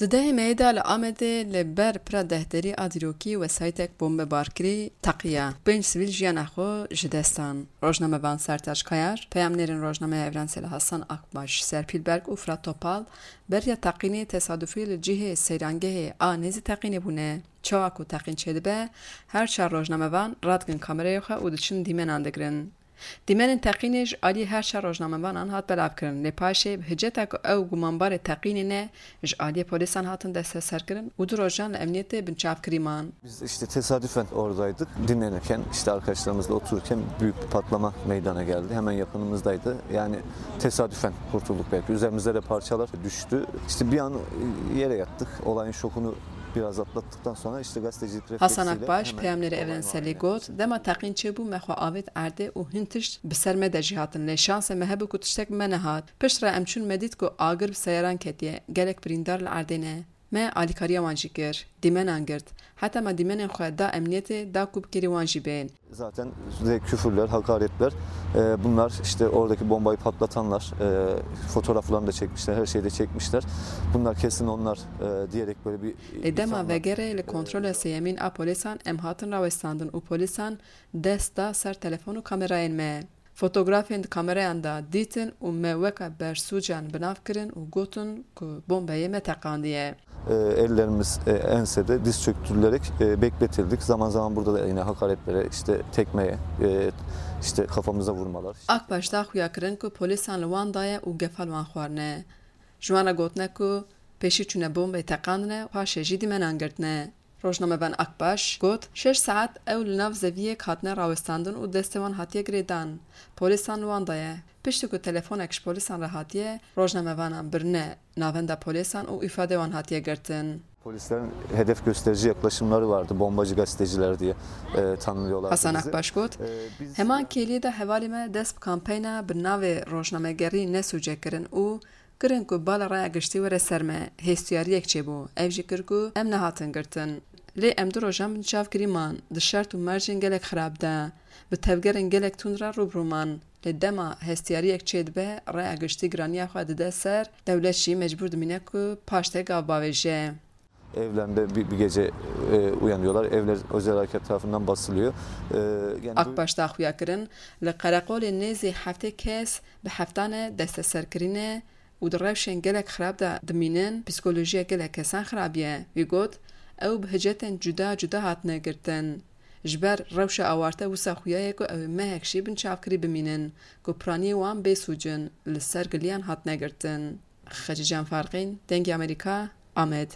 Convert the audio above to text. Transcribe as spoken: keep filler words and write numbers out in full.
Di dehê Meyê de li Amedê li ber pira dehderî a dîrokî wesayîtek bombebarkirî teqiya. Pênc sivîl jiyana xwe ji dest dan. Rojnamevan Sertaç Kayar, peyamnêrên rojnameya Evrenselê Hasan Akbaş, Serpîl Berk û Firat Topal beriya teqînê tesadufî li cihê seyrangehê a nêzî teqînê bûne. Çawa ku teqîn çêdibe, her çar rojnamevan radikin kamerayê xwe û diçin dîmenan digirin. Dîmenên teqînê ji aliyê her çar rojnamevanan hat belavkirin, lê paşê bi hiceta ku ew gumanbarê teqînê ne, ji aliyê polîsan hatin desteserkirin û du rojan li emniyetê binçavkirî man. Biz işte tesadüfen oradaydık. Dinlenirken, işte arkadaşlarımızla otururken büyük bir patlama meydana geldi. Hemen yakınımızdaydı. Yani tesadüfen kurtulduk belki. Üzerimizde de parçalar düştü. İşte bir an yere yattık. Olayın şokunu biraz atlattıktan sonra işte gazetecilik Hasan refleksiyle Akbaş, hemen peyamnêrê olayın Evrenselê, anına got: "Dema teqîn çêbû, me xwe avêt erdê û hin tişt bi ser me de jî hatin. Lê şansê me hebû ku tiştek bi me nehat. Piştre em çûn, me dît ku agir bi seyaran ketiye. Gelek birîndar li erdê ne. Me alîkariya wan jî kir. Dîmenan girt. Heta me dîmenên xwe da emniyetê, da ku bi kêrî wan jî bên." Zaten sürekli küfürler, hakaretler, e, bunlar işte oradaki bombayı patlatanlar, e, fotoğraflarını da çekmişler, her şeyi de çekmişler. Bunlar kesin onlar, e, diyerek böyle bir Lê dema ithamlar, vegerê li e, kontrola sêyemîn a polîsan em hatin rawestandin û polîsan dest da ser telefon û kamerayên me. Fotografên di kamerayan de dîtin û me weke bersûcan bi nav kirin û gotin ku bombeyê me teqandiye. E, ellerimiz, e, ensede diz çöktürülerek, e, bekletildik. Zaman zaman burada da yine hakaretlere, işte tekmeye, e, işte kafamıza vurmalar. Akbaş da xuya kirin ku polîsan li wan daye û gefa li wan xwarine. Ji wan re gotine ku pêşî çûne bombeyê teqandine, paşê jî dîmenan girtine. Rojnamevan Akbaş got: "Şeş saet ew li nav zeviyek hatine rawestandin û destê wan hatiye girêdan. Polîsan li wan daye. Piştî ku telefonek ji polîsan re hatiye, rojnamevanan birine navenda polîsan û îfadê wan hatiye girtin." Polislerin hedef gösterici yaklaşımları vardı, bombacı gazeteciler diye, e, tanımlıyorlardı Hasan bizi. Akbaş got: E, biz Heman kêliyê de hevalê me dest bi kampeyna bi navê rojnamegerî nesûce kirin û kirin ku bala raya giştî were ser me. Hêstiyariyek çêbû. Ev jî kir ku em nehatin girtin. Lê em du rojan binçavkirî man. Di şert û mercên gelek xirab de, bi tevgerên gelek tund re rû bi rû man. Lê dema hestiyariyek çêdibe, raya giştî giraniya xwe dide ser, dewlet jî mecbûr dimîne ku paştê gav bavêje. Evlerinde bir, bir gece, e, uyanıyorlar. Evler özel harekat tarafından basılıyor. E, yani bu Akbaş da xuya kirin, li qereqolê nêzî heftê kes bi heftane desteserkirî ne û di rewşên gelek xirab de dimînin, psîkolojiya gelek kesan xirabiye. Wî got, ew bi hicetên cuda cuda hatine girtin. Ji ber rewşa awarte wisa xuya ye ku ew ê mehek jî binçavkirî bimînin, ku piraniyê wan bê sûc in, li ser giliyan hatine girtin. Xecîcan Farqîn, Dengê Amerîka, Amed.